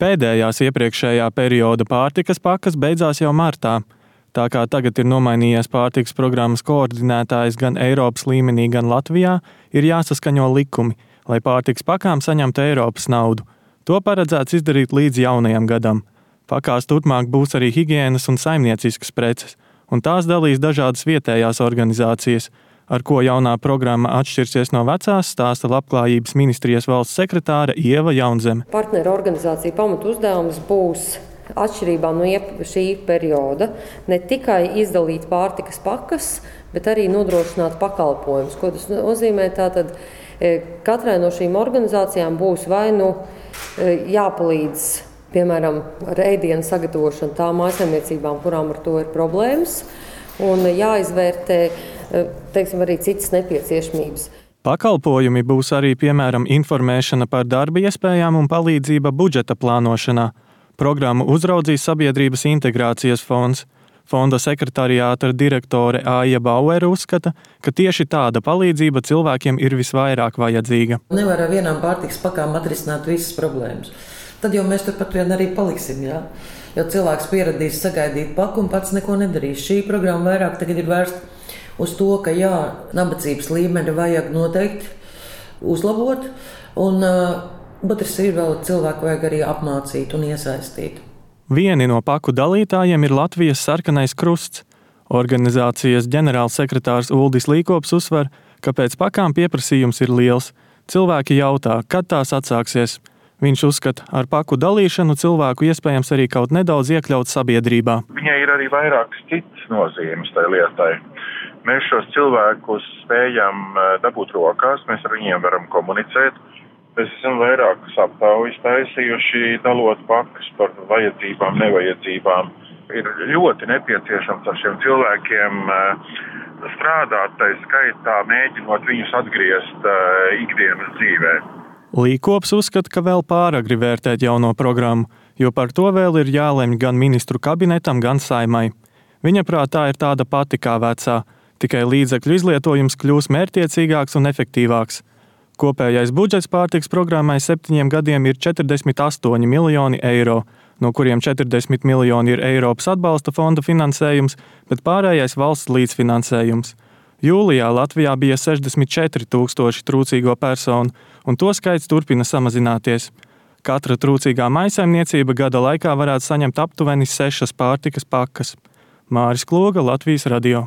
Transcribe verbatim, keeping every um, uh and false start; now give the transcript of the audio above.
Pēdējās iepriekšējā perioda pārtikas pakas beidzās jau martā. Tā kā tagad ir nomainījies pārtikas programmas koordinētājs gan Eiropas līmenī, gan Latvijā, ir jāsaskaņo likumi, lai pārtikas pakām saņemtu Eiropas naudu. To paredzēts izdarīt līdz jaunajam gadam. Pakās turpmāk būs arī higienas un saimnieciskas preces, un tās dalīs dažādas vietējās organizācijas. Ar ko jaunā programma atšķirsies no vecās, stāsta Labklājības ministrijas valsts sekretāre Ieva Jaunzeme. Partneru organizācija pamatu uzdevums būs atšķirībā no šī perioda ne tikai izdalīt pārtikas pakas, bet arī nodrošināt pakalpojumus. Ko tas nozīmē? Tātad katrai no šīm organizācijām būs vai nu jāpalīdz, piemēram, ar ēdienu sagatavošanu tām mājsaimniecībām, kurām ar to ir problēmas, un jāizvērtē, teiksim, arī citas nepieciešamības. Pakalpojumi būs arī, piemēram, informēšana par darba iespējām un palīdzība budžeta plānošanā. Programmu uzraudzīs Sabiedrības integrācijas fonds. Fonda sekretariāta direktore Aija Bauere uzskata, ka tieši tāda palīdzība cilvēkiem ir visvairāk vajadzīga. Nevar ar vienām pārtikas pakām atrisināt visas problēmas. Tad jau mēs turpat vien arī paliksim, jā. Jo cilvēks pieradīs sagaidīt paku un pats neko nedarīs. Šī programma vairāk tagad ir vērsta uz to, ka jā, nabadzības līmeni vajag noteikti uzlabot, un otrs ir vēl cilvēku vajag arī apmācīt un iesaistīt. Vieni no paku dalītājiem ir Latvijas Sarkanais Krusts. Organizācijas ģenerālsekretārs Uldis Līkops uzsver, ka pēc pakām pieprasījums ir liels. Cilvēki jautā, kad tās atsāksies. Viņš uzskata, ar paku dalīšanu cilvēku iespējams arī kaut nedaudz iekļaut sabiedrībā. Viņai ir arī vairākas citas nozīmes tai lietai. Mēs šos cilvēkus spējam dabūt rokās, mēs ar viņiem varam komunicēt. Mēs esam vairākas aptaujas taisījuši, dalot pakas par vajadzībām, nevajadzībām. Ir ļoti nepieciešams ar šiem cilvēkiem strādāt, tai skaitā mēģinot viņus atgriezt ikdienas dzīvē. Līkops uzskata, ka vēl pāragri vērtēt jauno programmu, jo par to vēl ir jālemj gan ministru kabinetam, gan Saimai. Viņa prātā ir tāda pati kā vecā, tikai līdzekļu izlietojums kļūs mērķtiecīgāks un efektīvāks. Kopējais budžets pārtikas programmai septiņiem gadiem ir četrdesmit astoņi miljoni eiro, no kuriem četrdesmit miljoni ir Eiropas atbalsta fonda finansējums, bet pārējais valsts līdzfinansējums. Jūlijā Latvijā bija sešdesmit četri tūkstoši trūcīgo personu, un to skaits turpina samazināties. Katra trūcīgā mājsaimniecība gada laikā varētu saņemt aptuveni sešas pārtikas pakas. Māris Kloga, Latvijas radio.